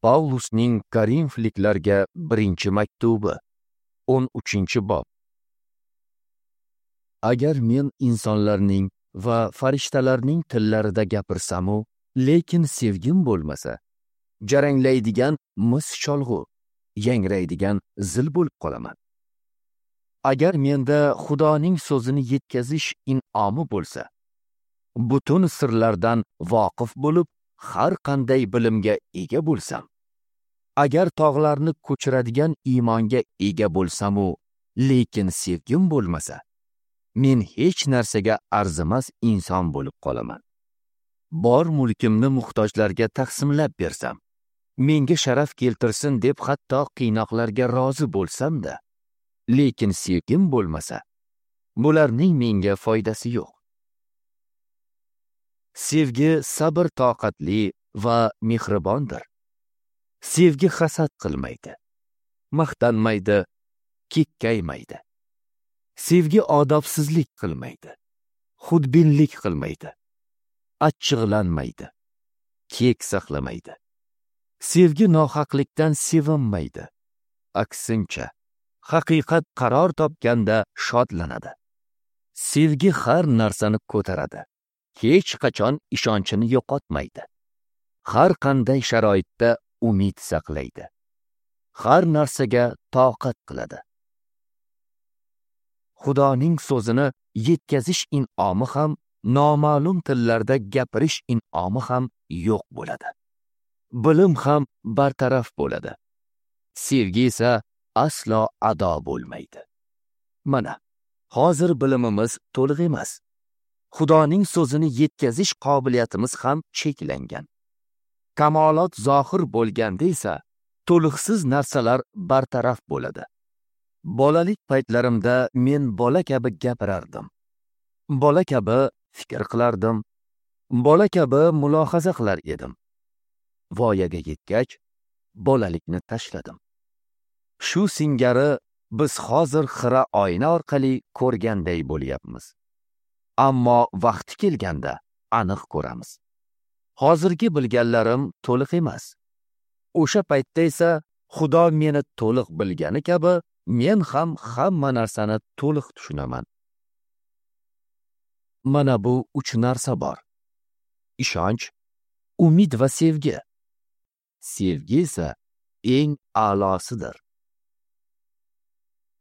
Pavlusning Korinfliklarga birinchi maktubi, 13-bob. Agar men insonlarning va farishtalarning tillarida gapirsam-u, lekin sevgim bo'lmasa, jaranglaydigan mis cholg'u, yangraydigan zil bo'lib qolaman. Agar menda Xudoning so'zini yetkazish in'omi bo'lsa, butun sirlardan voqif bo'lib, har qanday bilimga ega bo'lsam, agar tog'larni ko'chiradigan iymonga ega bo'lsam-u, lekin sevgim bo'lmasa, men hech narsaga arzimas inson bo'lib qolaman. Bor mulkimni muhtojlarga taqsimlab bersam, menga sharaf keltirsin deb hatto qiynoqlarga rozi bo'lsam-da, lekin sevgim bo'lmasa, bularning menga foydasi yo'q. Sevgi sabr toqatli va mehribondir. Sevgi hasad qilmaydi, maqtanmaydi, kekkaymaydi. Sevgi odobsizlik qilmaydi, xudbinlik qilmaydi, achchiqlanmaydi, kek saqlamaydi. Sevgi nohaqlikdan sevinmaydi, aksincha, haqiqat qaror topganda shodlanadi. Sevgi har narsani ko'taradi, hech qachon ishonchini yo'qotmaydi. Har qanday sharoitda umid saqlaydi. Har narsaga toqat qiladi. Xudoning so'zini yetkazish in'omi ham, noma'lum tillarda gapirish in'omi ham yo'q bo'ladi. Bilim ham bartaraf bo'ladi. Sevgi esa aslo ado bo'lmaydi. Mana, hozir bilimimiz to'liq emas. Xudoning so'zini yetkazish qobiliyatimiz ham cheklangan. Kamolot zohir bo'lganda esa to'liqsiz narsalar bartaraf bo'ladi. Bolalik paytlarimda men bola kabi gapirardim. Bola kabi fikr qilardim. Bola kabi mulohaza qilar edim. Voyaga yetgach, bolalikni tashladim. Shu singari biz hozir xira oyna orqali ko'rganday bo'lyapmiz. Ammo vaqti kelganda aniq ko'ramiz. Hozirgi bilganlarim to'liq emas. O'sha paytda esa Xudo meni to'liq bilgani kabi men ham hamma narsani to'liq tushunaman. Mana bu uch narsa bor: ishonch, umid va sevgi. Sevgi esa eng a'losidir.